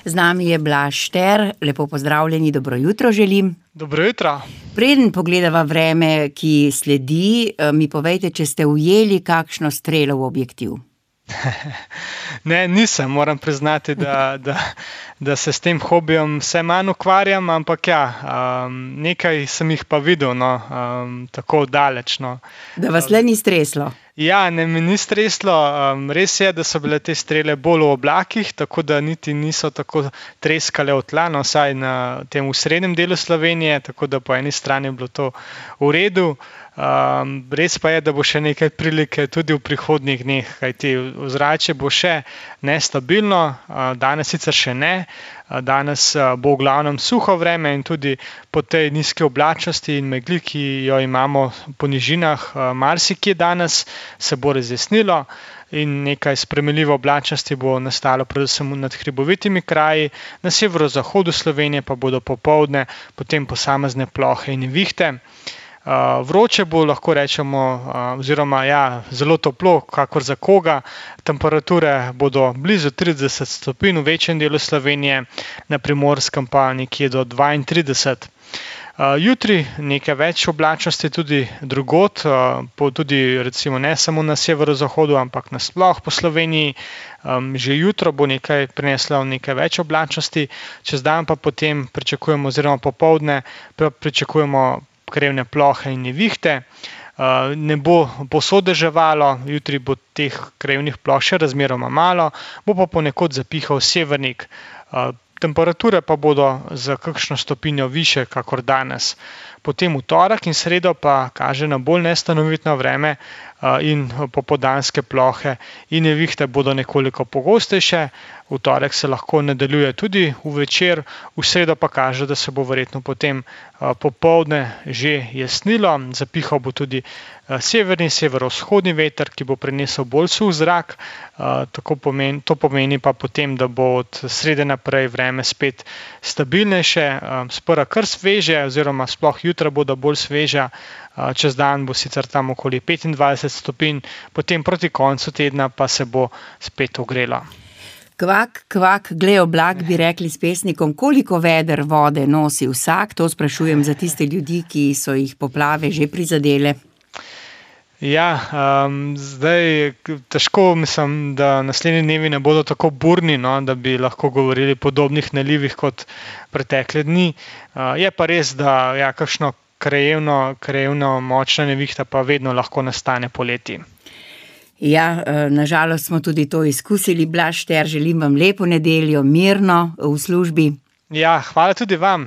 Z nami je Blaž Šter, lepo pozdravljeni, dobro jutro želim. Dobro jutro. Preden pogledava vreme, ki sledi, mi povejte, če ste ujeli kakšno strelo v objektiv. Ne, nisem, moram priznati, da se s tem hobijem vse manj ukvarjam, ampak ja, nekaj sem jih pa videl, tako daleč. Da vas le ni streslo. Ja, ne, me ni streslo. Res je, da so bile te strele bolj v oblakih, tako da niti niso tako treskale v tla, vsaj na tem srednjem delu Slovenije, tako da po eni strani je bilo to v redu. Res pa je, da bo še nekaj prilike tudi v prihodnjih dneh, kajti ozračje bo še nestabilno, danes sicer še ne. Danes bo v glavnem suho vreme in tudi po tej nizki oblačnosti in megli, ki jo imamo po nižinah, marsikje danes se bo razjasnilo in nekaj spremenljive oblačnosti bo nastalo predvsem nad hribovitimi kraji, na severozahodu Slovenije pa bodo popoldne potem posamezne plohe in nevihte. Vroče bo, lahko rečemo, oziroma ja, zelo toplo, kakor za koga. Temperature bodo blizu 30 stopinj v večjem delu Slovenije, na Primorskem pa nekje do 32. Jutri nekaj več oblačnosti tudi drugod, tudi recimo ne samo na severozahodu, ampak nasploh po Sloveniji. Že jutro bo nekaj prineslo nekaj več oblačnosti, čez dan pa potem pričakujemo, oziroma popoldne pričakujemo krevne plohe in nevihte. Ne bo povsod deževalo, jutri bo teh krevnih ploh še razmeroma malo, bo pa ponekod zapihal severnik. Temperature pa bodo za kakšno stopinjo višje, kakor danes. Potem v torek in sredo pa kaže na bolj nestanovitno vreme in popoldanske plohe in nevihte bodo nekoliko pogostejše. V torek se lahko nadaljuje tudi v večer, v sredo pa kaže, da se bo verjetno potem popoldne že jasnilo. Zapihal bo tudi severni, severovzhodni veter, ki bo prinesel bolj suh zrak. To pomeni pa potem, da bo od srede naprej vreme spet stabilnejše, sprva kar sveže, oziroma sploh jutra bodo bolj sveža, čez dan bo sicer tam okoli 25 stopinj, potem proti koncu tedna pa se bo spet ogrelo. Kvak, kvak, glej oblak, bi rekli s pesnikom, koliko veder vode nosi vsak, to sprašujem za tiste ljudi, ki so jih poplave že prizadele. Ja, zdaj težko mislim, da naslednji dnevi ne bodo tako burni, da bi lahko govorili podobnih nalivih kot pretekle dni. Je pa res, da ja, kakšno krajevno močna nevihta pa vedno lahko nastane poleti. Ja, nažalost smo tudi to izkusili. Blaž Šter, želim vam lepo nedeljo, mirno v službi. Ja, hvala tudi vam.